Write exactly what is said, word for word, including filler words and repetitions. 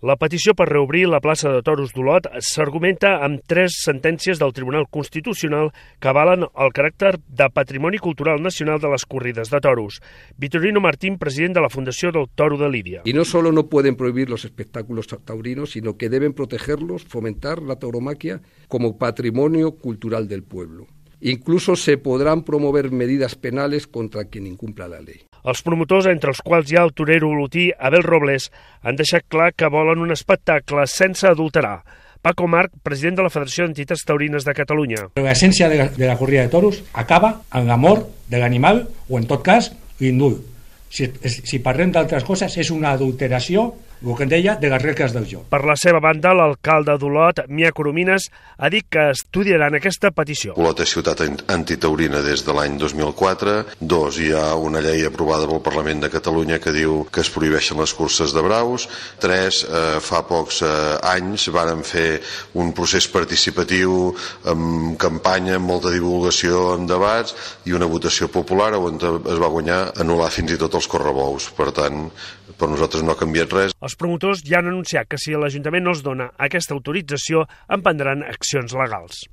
La petició per reobrir la plaça de Toros d'Olot s'argumenta amb tres sentències del Tribunal Constitucional que avalen el caràcter de Patrimoni Cultural Nacional de les corrides de toros. Vitorino Martín, president de la Fundació del Toro de Lidia. Y no solo no pueden prohibir los espectáculos taurinos, sino que deben protegerlos, fomentar la tauromaquia como patrimonio cultural del pueblo. Incluso se podrán promover medidas penales contra quien incumpla la ley. Els promotors, entre els quals hi ha el torero olotí Abel Robles, han deixat clar que volen un espectacle sense adulterar. Paco Marc, president de la Federació d'Entitats Taurines de Catalunya. La esencia de la, de la corrida de toros acaba en l'amor de l'animal o, en tot cas, l'indult. Si, si parlem d'altres coses, és una adulteració, el que en deia, de les regles del joc. Per la seva banda, l'alcalde d'Olot, Mia Coromines, ha dit que estudiaran aquesta petició. Olot és ciutat antitaurina des de l'any dos mil quatre. Dos, hi ha una llei aprovada pel Parlament de Catalunya que diu que es prohibeixen les curses de braus. Tres, eh, fa pocs eh, anys varen fer un procés participatiu amb campanya, amb molta divulgació, amb debats i una votació popular on es va guanyar anul·lar fins i tot els correbous. Per tant, per nosaltres no ha canviat res. Els promotors ja han anunciat que si l'Ajuntament no els dona aquesta autorització, emprendran accions legals.